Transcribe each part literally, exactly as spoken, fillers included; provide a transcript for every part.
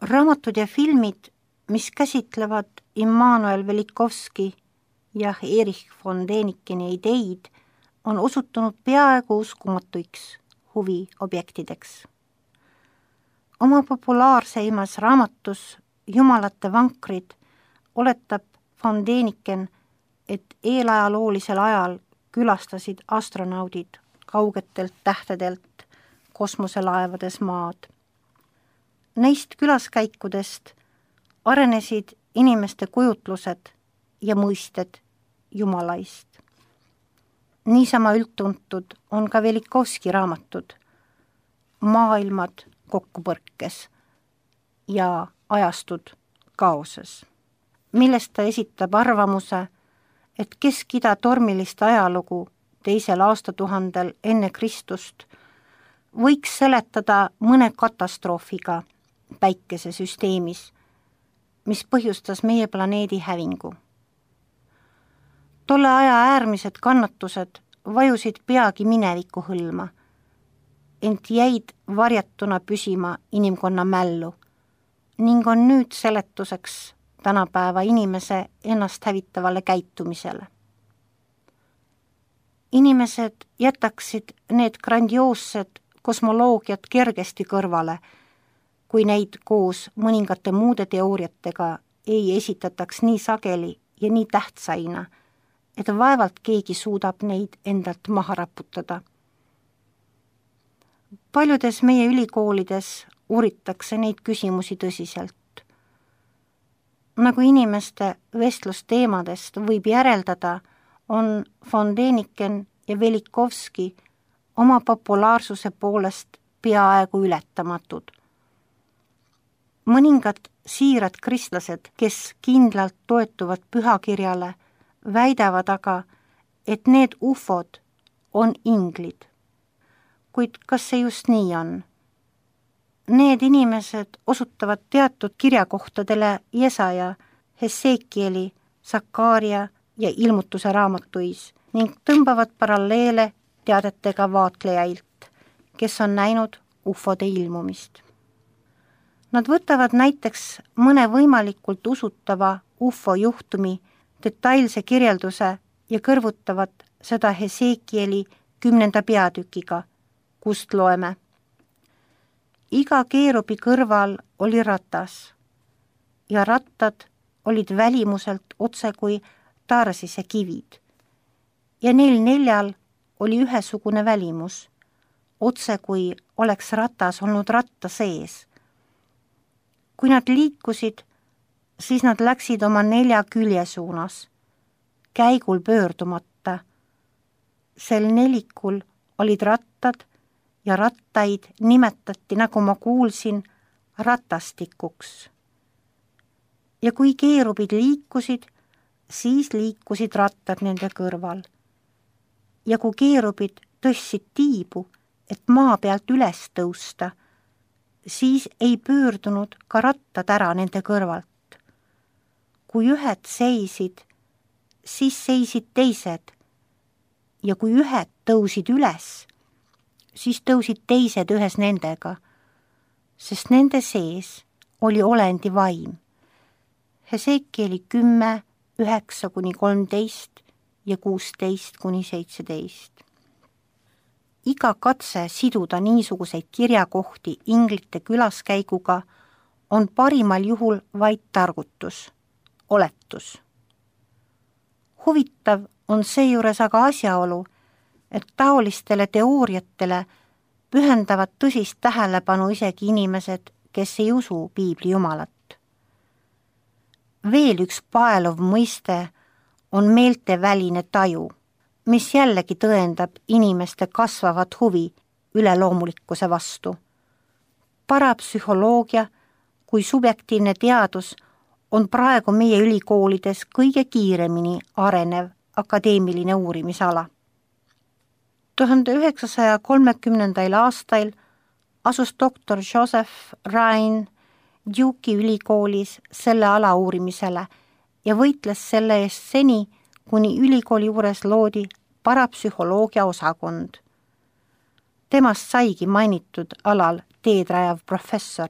Raamatud ja filmid, mis käsitlevad Immanuel Velikovski ja Erich von Dänikeni ideid, on osutunud peaaegu uskumatuiks huviobjektideks. Oma populaarseimas raamatus Jumalate vankrid oletab von Däniken, et eelajaloolisel ajal külastasid astronaudid kaugetelt tähtedelt kosmoselaevades maad. Neist külaskäikudest arenesid inimeste kujutlused ja mõisted Jumalaist. Niisama üldtuntud on ka Velikovski raamatud Maailmad kokkupõrkes ja ajastud kaoses, millest ta esitab arvamuse, et Kesk-Ida tormilist ajalugu teisel aastatuhandel enne Kristust võiks seletada mõne katastroofiga päikesesüsteemis, mis põhjustas meie planeedi hävingu. Tolle aja äärmised kannatused vajusid peagi mineviku hõlma, ent jäid varjatuna püsima inimkonna mällu ning on nüüd seletuseks tänapäeva inimese ennast hävitavale käitumisele. Inimesed jätaksid need grandioossed kosmoloogiat kergesti kõrvale, kui neid koos mõningate muude teooriatega ei esitataks nii sageli ja nii tähtsaina, et vaevalt keegi suudab neid endalt maha raputada. Paljudes meie ülikoolides uuritakse neid küsimusi tõsiselt. Nagu inimeste vestlusteemadest võib järeldada, on von Däniken ja Velikovski oma populaarsuse poolest peaaegu ületamatud. Mõningad siirad kristlased, kes kindlalt toetuvad pühakirjale, väidavad aga, et need ufod on inglid. Kuid kas see just nii on? Need inimesed osutavad teatud kirjakohtadele Jesaja, Hesekieli, Sakaaria ja ilmutuse raamatuis ning tõmbavad paralleele teadetega vaatlejailt, kes on näinud ufode ilmumist. Nad võtavad näiteks mõne võimalikult usutava ufo juhtumi detailse kirjelduse ja kõrvutavad seda Hesekieli kümnenda peatükiga, kust loeme. Iga keerubi kõrval oli ratas ja rattad olid välimuselt otse kui Tarsise kivid ja neil neljal oli ühesugune välimus, otse kui oleks ratas olnud ratta sees. Kui nad liikusid, siis nad läksid oma nelja külje suunas, käigul pöördumata. Sel nelikul olid rattad ja rattaid nimetati, nagu ma kuulsin, ratastikuks. Ja kui keerubid liikusid, siis liikusid rattad nende kõrval. Ja kui keerubid tõstsid tiibu, et maa pealt üles tõusta, siis ei pöördunud ka rattad ära nende kõrvalt. Kui ühed seisid, siis seisid teised, ja kui ühed tõusid üles, siis tõusid teised ühes nendega, sest nende sees oli olendi vaim. Hesekieli kümme, üheksa kuni kolmteist ja kuusteist kuni seitseteist. Iga katse siduda niisuguseid kirjakohti inglite külaskäiguga on parimal juhul vaid targutus, oletus. Huvitav on seejuures aga asjaolu, et taolistele teooriatele pühendavad tõsist tähelepanu isegi inimesed, kes ei usu piibli jumalat. Veel üks paeluv mõiste on meelteväline taju, mis jällegi tõendab inimeste kasvavat huvi üleloomulikkuse vastu. Parapsühholoogia kui subjektiivne teadus on praegu meie ülikoolides kõige kiiremini arenev akadeemiline uurimisala. tuhande üheksasaja kolmekümnendail aastail asus doktor Joseph Ryan Duke'i ülikoolis selle ala uurimisele ja võitles selle eest seni, kuni ülikooli juures loodi parapsühholoogia osakond. Temast saigi mainitud alal teed rajav professor.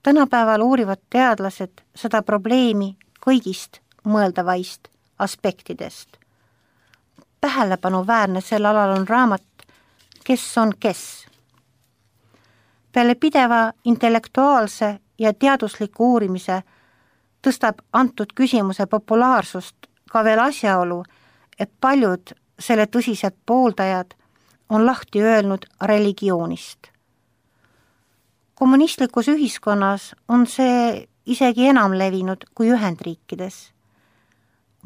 Tänapäeval uurivad teadlased seda probleemi kõigist mõeldavaist aspektidest. Tähelepanuväärne sel alal on raamat Kes on kes? Peale pideva intellektuaalse ja teadusliku uurimise tõstab antud küsimuse populaarsust ka veel asjaolu, et paljud selle tõsised pooldajad on lahti öelnud religioonist. Kommunistlikus ühiskonnas on see isegi enam levinud kui Ühendriikides.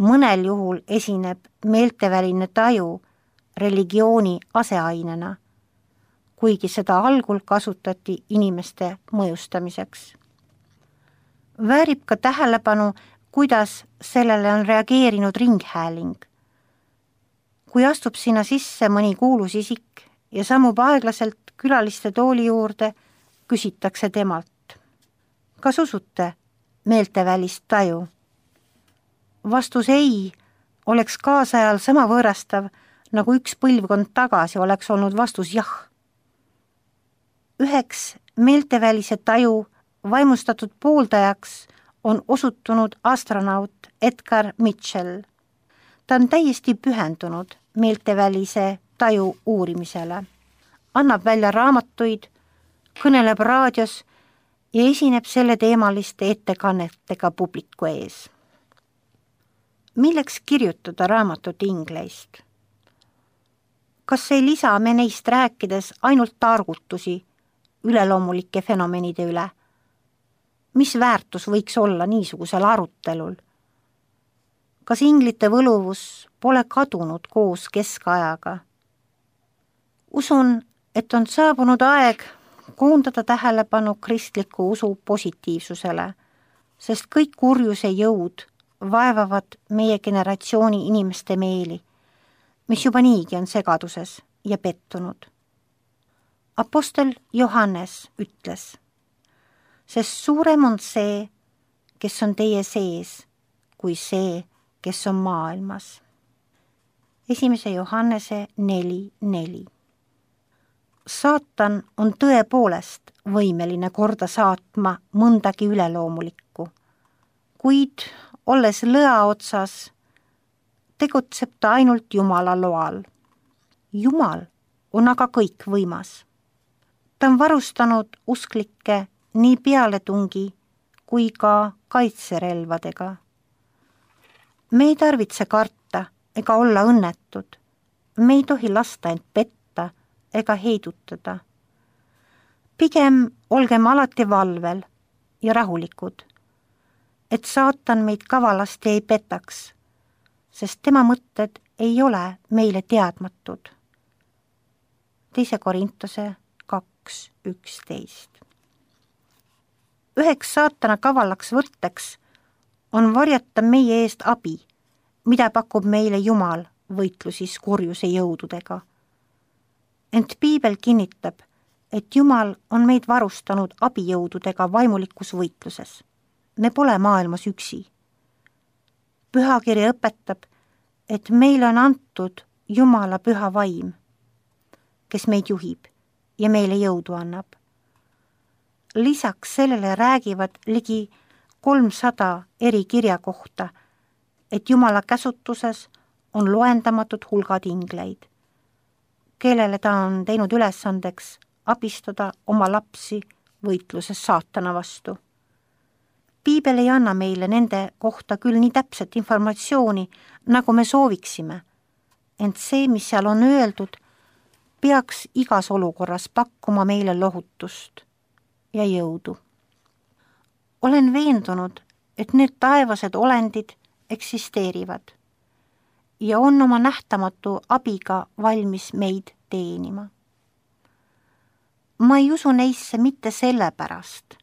Mõnel juhul esineb meelteväline taju religiooni aseainena, kuigi seda algul kasutati inimeste mõjustamiseks. Väärib ka tähelepanu, kuidas sellele on reageerinud ringhääling. Kui astub sinna sisse mõni kuulus isik ja sammub aeglaselt külaliste tooli juurde, küsitakse temalt. Kas usute meeltevälist taju? Vastus ei oleks kaasajal sama võõrastav, nagu üks põlvkond tagasi oleks olnud vastus jah. Üheks meeltevälise taju vaimustatud pooldajaks on osutunud astronaut Edgar Mitchell. Ta on täiesti pühendunud meeltevälise taju uurimisele, annab välja raamatuid, kõneleb raadios ja esineb selle teemaliste ettekannetega publiku ees. Milleks kirjutada raamatut ingleist? Kas ei lisa me neist rääkides ainult targutusi üleloomulike fenomenide üle? Mis väärtus võiks olla niisugusel arutelul? Kas inglite võluvus pole kadunud koos keskajaga? Usun, et on saabunud aeg koondada tähelepanu kristliku usu positiivsusele, sest kõik kurjuse jõud vaevavad meie generatsiooni inimeste meeli, mis juba niigi on segaduses ja pettunud. Apostel Johannes ütles, sest suurem on see, kes on teie sees, kui see, kes on maailmas. Esimese Johannese neli neli. Saatan on tõepoolest võimeline korda saatma mõndagi üleloomulikku, kuid olles lõa otsas, tegutseb ta ainult Jumala loal. Jumal on aga kõikvõimas. Ta on varustanud usklikke nii pealetungi kui ka kaitserelvadega. Me ei tarvitse karta ega olla õnnetud. Me ei tohi lasta end petta ega heidutada. Pigem olgem alati valvel ja rahulikud, et saatan meid kavalasti ei petaks, sest tema mõtted ei ole meile teadmatud. Teise Korintuse kaks üksteist. Üheks saatana kavalaks võtteks on varjata meie eest abi, mida pakub meile Jumal võitlusis kurjuse jõududega. Ent Piibel kinnitab, et Jumal on meid varustanud abijõududega vaimulikus võitluses. Me pole maailmas üksi. Pühakiri õpetab, et meile on antud Jumala püha vaim, kes meid juhib ja meile jõudu annab. Lisaks sellele räägivad ligi kolmsada eri kirja kohta, et Jumala käsutuses on loendamatud hulgad ingleid, kellele ta on teinud ülesandeks abistada oma lapsi võitluses saatana vastu. Piibel ei anna meile nende kohta küll nii täpset informatsiooni, nagu me sooviksime, ent see, mis seal on öeldud, peaks igas olukorras pakkuma meile lohutust ja jõudu. Olen veendunud, et need taevased olendid eksisteerivad ja on oma nähtamatu abiga valmis meid teenima. Ma ei usu neisse mitte sellepärast,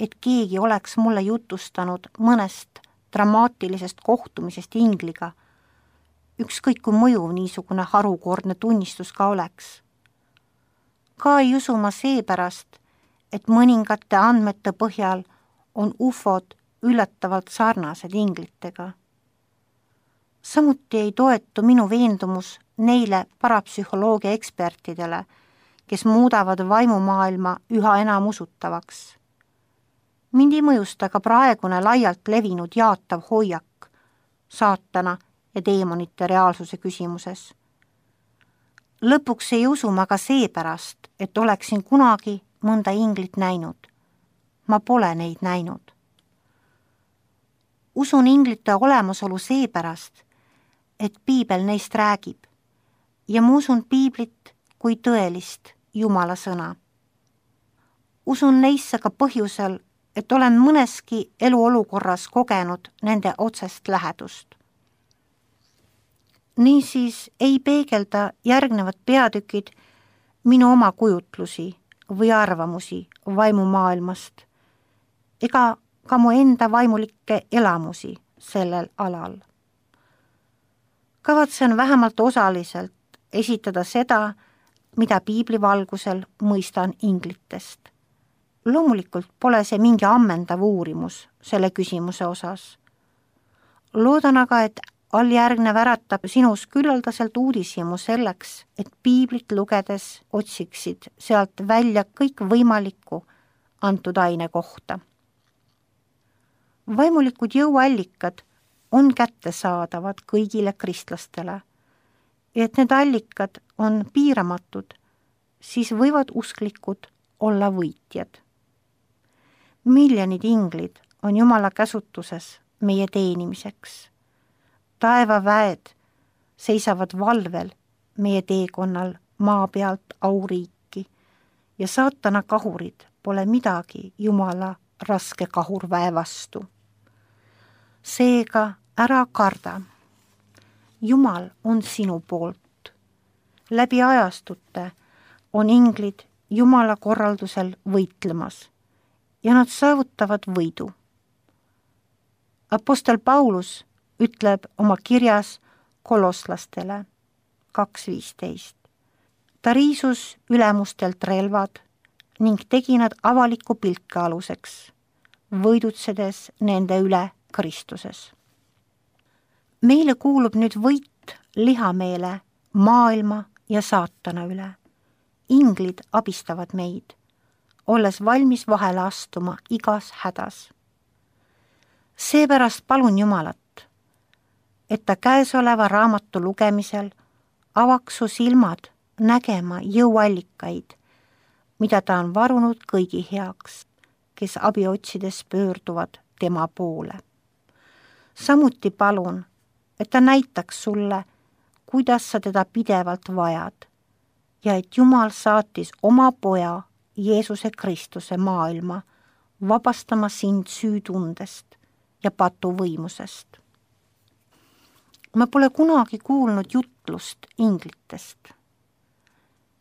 et keegi oleks mulle jutustanud mõnest dramaatilisest kohtumisest ingliga, ükskõik kui mõjuv niisugune harukordne tunnistus ka oleks. Ka ei usu ma seepärast, et mõningate andmete põhjal on ufod üllatavalt sarnased inglitega. Samuti ei toetu minu veendumus neile parapsühholoogia ekspertidele, kes muudavad vaimumaailma üha enam usutavaks. Mind ei mõjusta ka praegune laialt levinud jaatav hoiak saatana ja teemonite reaalsuse küsimuses. Lõpuks ei usu ma ka seepärast, et oleksin kunagi mõnda inglit näinud. Ma pole neid näinud. Usun inglite olemasolu seepärast, et piibel neist räägib ja ma usun piiblit kui tõelist Jumala sõna. Usun neisse ka põhjusel, et olen mõneski eluolukorras kogenud nende otsest lähedust. Niisiis ei peegelda järgnevad peatükid minu oma kujutlusi või arvamusi vaimumaailmast ega ka mu enda vaimulikke elamusi sellel alal. Kavatsen vähemalt osaliselt esitada seda, mida piibli valgusel mõistan inglitest. Loomulikult pole see mingi ammendav uurimus selle küsimuse osas. Loodan aga, et alljärgnev äratab sinus küllaldaselt uudishimu selleks, et piiblit lugedes otsiksid sealt välja kõik võimalikku antud aine kohta. Vaimulikud jõuallikad on kättesaadavad kõigile kristlastele ja et need allikad on piiramatud, siis võivad usklikud olla võitjad. Miljonid inglid on Jumala käsutuses meie teenimiseks. Taevaväed seisavad valvel meie teekonnal maa pealt auriiki ja saatana kahurid pole midagi Jumala raske kahurväe vastu. Seega ära karda. Jumal on sinu poolt. Läbi ajastute on inglid Jumala korraldusel võitlemas ja nad saavutavad võidu. Apostel Paulus ütleb oma kirjas kolosslastele kaks viisteist. Ta riisus ülemustelt relvad ning tegi nad avaliku pilke aluseks, võidutsedes nende üle Kristuses. Meile kuulub nüüd võit lihameele, maailma ja saatana üle. Inglid abistavad meid, olles valmis vahele astuma igas hädas. Seepärast palun Jumalat, et ta käesoleva raamatu lugemisel avaks su silmad nägema jõuallikaid, mida ta on varunud kõigi heaks, kes abi otsides pöörduvad tema poole. Samuti palun, et ta näitaks sulle, kuidas sa teda pidevalt vajad ja et Jumal saatis oma poja Jeesuse Kristuse maailma, vabastama sind süütundest ja patuvõimusest. Ma pole kunagi kuulnud jutlust inglitest.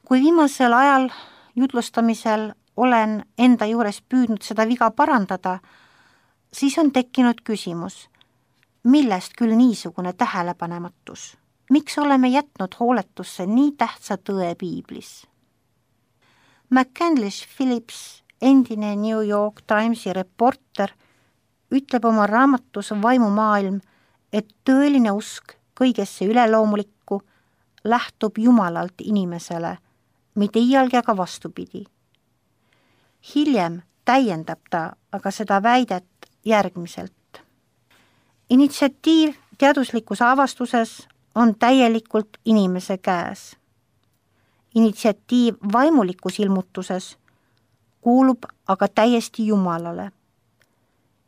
Kui viimasel ajal jutlustamisel olen enda juures püüdnud seda viga parandada, siis on tekkinud küsimus, millest küll niisugune tähelepanematus? Miks oleme jätnud hooletusse nii tähtsa tõe piiblis? McCandlish Phillips, endine New York Timesi reporter, ütleb oma raamatus Vaimumaailm, et tõeline usk kõigesse üleloomulikku lähtub Jumalalt inimesele, mitte iialgi aga vastupidi. Hiljem täiendab ta aga seda väidet järgmiselt. Initsiatiiv teaduslikus avastuses on täielikult inimese käes. Initsiatiiv vaimulikus ilmutuses kuulub aga täiesti Jumalale.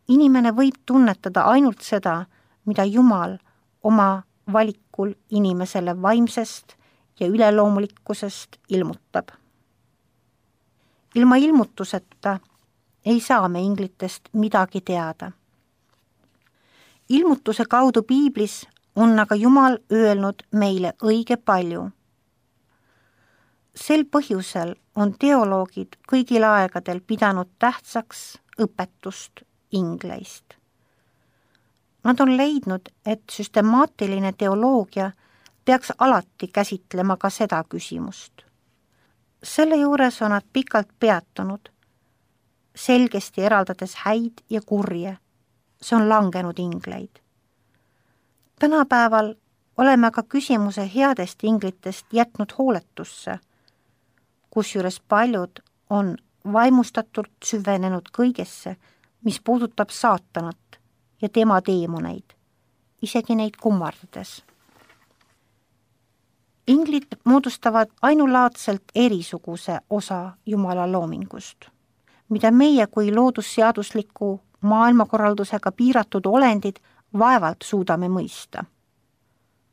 Inimene võib tunnetada ainult seda, mida Jumal oma valikul inimesele vaimsest ja üleloomulikkusest ilmutab. Ilma ilmutuseta ei saa me inglitest midagi teada. Ilmutuse kaudu piiblis on aga Jumal öelnud meile õige palju. Sel põhjusel on teoloogid kõigil aegadel pidanud tähtsaks õpetust ingleist. Nad on leidnud, et süstemaatiline teoloogia peaks alati käsitlema ka seda küsimust. Selle juures on nad pikalt peatunud, selgesti eraldades häid ja kurje. See on langenud ingleid. Tänapäeval oleme aga küsimuse headest inglitest jätnud hooletusse, kusjuures paljud on vaimustatult süvenenud kõigesse, mis puudutab saatanat ja tema teemoneid, isegi neid kummardades. Inglid moodustavad ainulaadselt erisuguse osa Jumala loomingust, mida meie kui loodusseadusliku maailmakorraldusega piiratud olendid vaevalt suudame mõista.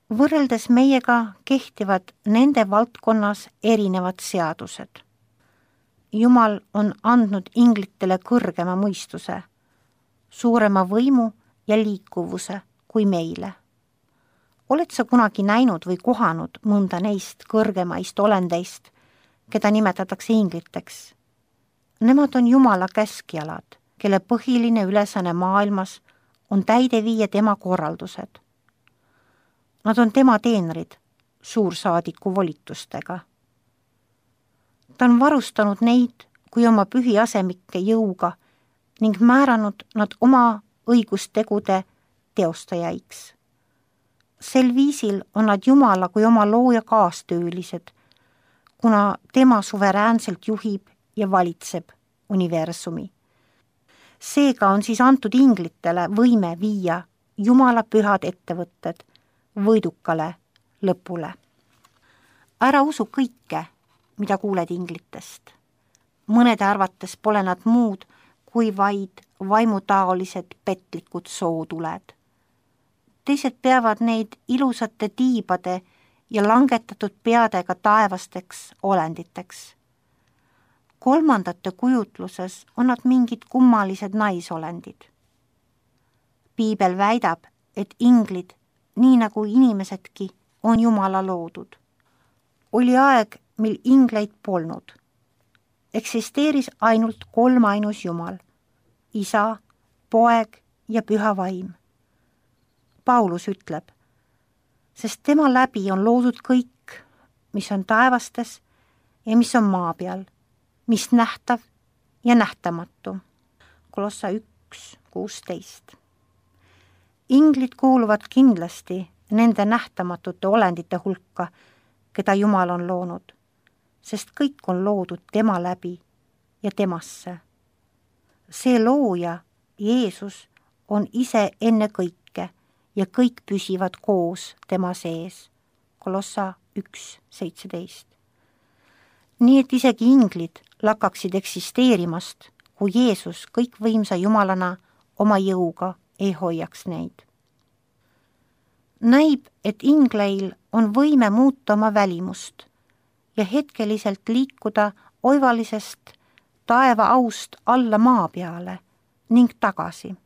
Võrreldes meiega kehtivad nende valdkonnas erinevad seadused. Jumal on andnud inglitele kõrgema mõistuse, suurema võimu ja liikuvuse kui meile. Oled sa kunagi näinud või kohanud mõnda neist kõrgemaist olendeist, keda nimetatakse ingliteks? Nemad on Jumala käskjalad, kelle põhiline ülesanne maailmas on täide viia tema korraldused. Nad on tema teenrid suursaadiku volitustega. Ta on varustanud neid kui oma pühiasemikke jõuga ning määranud nad oma õigustegude teostajaiks. Sel viisil on nad Jumala kui oma looja kaastöölised, kuna tema suveräänselt juhib ja valitseb universumi. Seega on siis antud inglitele võime viia Jumala pühad ettevõtted võidukale lõpule. Ära usu kõike, mida kuuled inglitest. Mõnede arvates pole nad muud kui vaid vaimutaolised petlikud sootuled. Teised peavad neid ilusate tiibade ja langetatud peadega taevasteks olenditeks. Kolmandate kujutluses on nad mingid kummalised naisolendid. Piibel väidab, et inglid, nii nagu inimesedki, on Jumala loodud. Oli aeg, mil ingleid polnud. Eksisteeris ainult kolmainus Jumal, Isa, Poeg ja Püha Vaim. Paulus ütleb, sest tema läbi on loodud kõik, mis on taevastes ja mis on maa peal, mis nähtav ja nähtamatu. Kolossa üks kuusteist. Inglid kuuluvad kindlasti nende nähtamatute olendite hulka, keda Jumal on loonud, sest kõik on loodud tema läbi ja temasse. See looja, Jeesus, on ise enne kõike ja kõik püsivad koos tema sees. Kolossa üks seitseteist. Nii et isegi inglid lakkaksid eksisteerimast, kui Jeesus kõikvõimsa Jumalana oma jõuga ei hoiaks neid. Näib, et ingleil on võime muuta oma välimust ja hetkeliselt liikuda oivalisest taeva aust alla maa peale ning tagasi.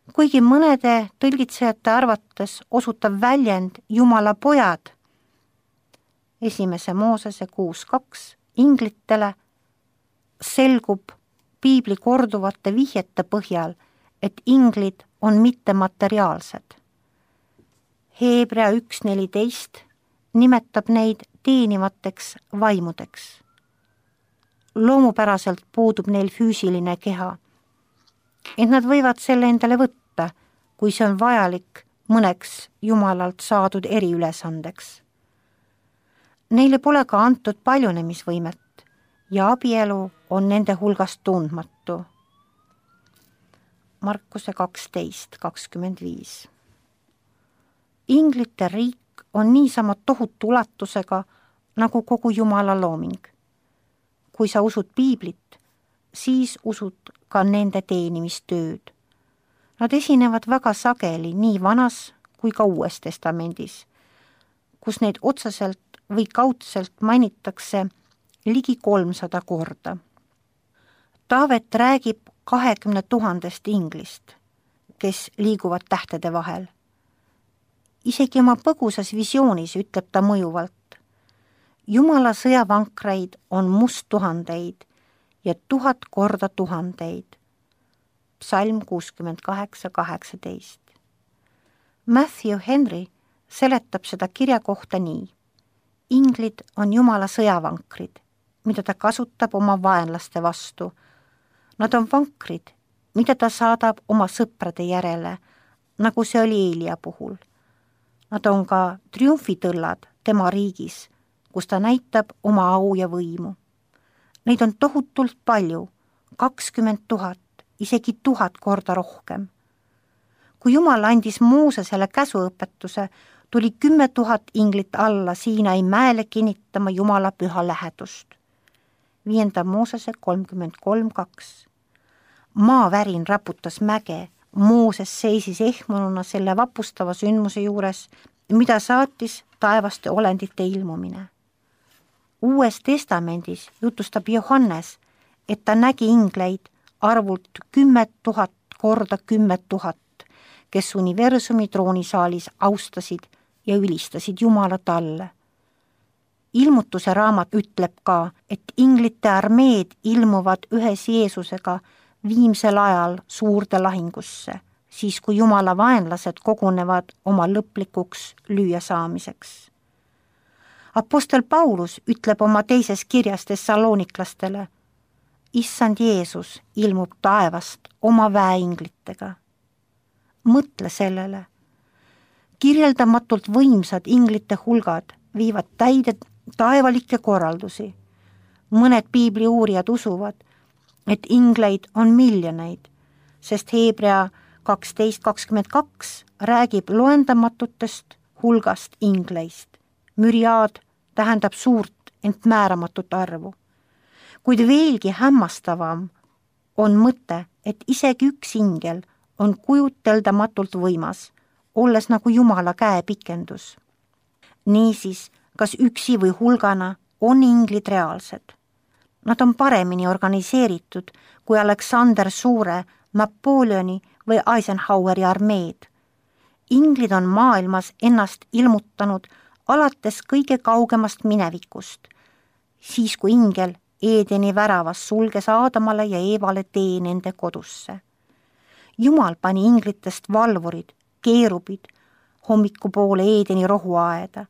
Kuigi mõnede tõlgitsejate arvates osutab väljend Jumala pojad esimese Moosese kuus kaks inglitele, selgub piibli korduvate vihjete põhjal, et inglid on mittemateriaalsed. Heebrea üks neliteist nimetab neid teenivateks vaimudeks. Loomupäraselt puudub neil füüsiline keha, et nad võivad selle endale võtta, kui see on vajalik mõneks Jumalalt saadud eriülesandeks. Neile pole ka antud paljunemisvõimet ja abielu on nende hulgast tundmatu. Markuse kaksteist kakskümmend viis. Inglite riik on niisama tohutu ulatusega nagu kogu Jumala looming. Kui sa usud piiblit, siis usud ka nende teenimistööd. Nad esinevad väga sageli nii vanas kui ka uues testamendis, kus neid otseselt või kaudselt mainitakse ligi kolmsada korda. Taavet räägib kahekümne tuhandest inglist, kes liiguvad tähtede vahel. Isegi oma põgusas visioonis ütleb ta mõjuvalt. Jumala sõjavankreid on must tuhandeid ja tuhat korda tuhandeid. Psalm kuuskümmend kaheksa kaheksateist. Matthew Henry seletab seda kirja kohta nii. Inglid on Jumala sõjavankrid, mida ta kasutab oma vaenlaste vastu. Nad on vankrid, mida ta saadab oma sõprade järele, nagu see oli Eelia puhul. Nad on ka triumfitõllad tema riigis, kus ta näitab oma au ja võimu. Neid on tohutult palju, kakskümmend tuhat isegi tuhat korda rohkem. kui Jumal andis Moosesele käsuõpetuse, tuli kümme tuhat inglit alla Siinai mäele kinnitama Jumala püha lähedust. Viienda Moosese kolmkümmend kolm kaks. Maavärin raputas mäge, Mooses seisis ehmununa selle vapustava sündmuse juures, mida saatis taevaste olendite ilmumine. Uues testamendis jutustab Johannes, et ta nägi ingleid arvult kümmet tuhat korda kümmet tuhat, kes universumi troonisaalis austasid ja ülistasid Jumala talle. Ilmutuse raamat ütleb ka, et inglite armeed ilmuvad ühes Jeesusega viimsel ajal suurde lahingusse, siis kui Jumala vaenlased kogunevad oma lõplikuks lüüasaamiseks. Apostel Paulus ütleb oma teises kirjas Thessaloniklastele, Issand Jeesus ilmub taevast oma väeinglitega. Mõtle sellele. Kirjeldamatult võimsad inglite hulgad viivad täide taevalikke korraldusi. Mõned piibli uurijad usuvad, et ingleid on miljoneid, sest Hebrea kaksteist kakskümmend kaks räägib loendamatutest hulgast ingleist. Müriaad tähendab suurt, ent määramatut arvu. Kuid veelgi hämmastavam on mõte, et isegi üks ingel on kujuteldamatult võimas, olles nagu Jumala käepikendus. Niisiis, kas üksi või hulgana on inglid reaalsed. Nad on paremini organiseeritud kui Aleksander Suure, Napoleoni või Eisenhoweri armeed. Inglid on maailmas ennast ilmutanud alates kõige kaugemast minevikust, siis kui ingel Eedeni väravas sulges Aadamale ja Eevale tee nende kodusse. Jumal pani inglitest valvurid, keerubid hommikupoole Eedeni rohuaeda.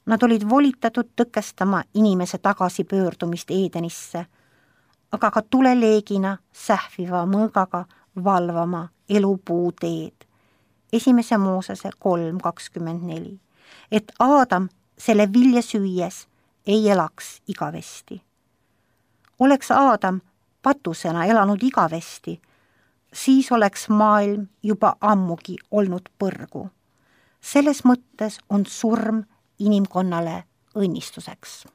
Nad olid volitatud tõkestama inimese tagasipöördumist Eedenisse, aga ka tuleleegina sähviva mõõgaga valvama elupuu teed. Esimese Moosese kolm kakskümmend neli. Et Aadam selle vilja süües ei elaks igavesti. Oleks Aadam patusena elanud igavesti, siis oleks maailm juba ammugi olnud põrgu. Selles mõttes on surm inimkonnale õnnistuseks.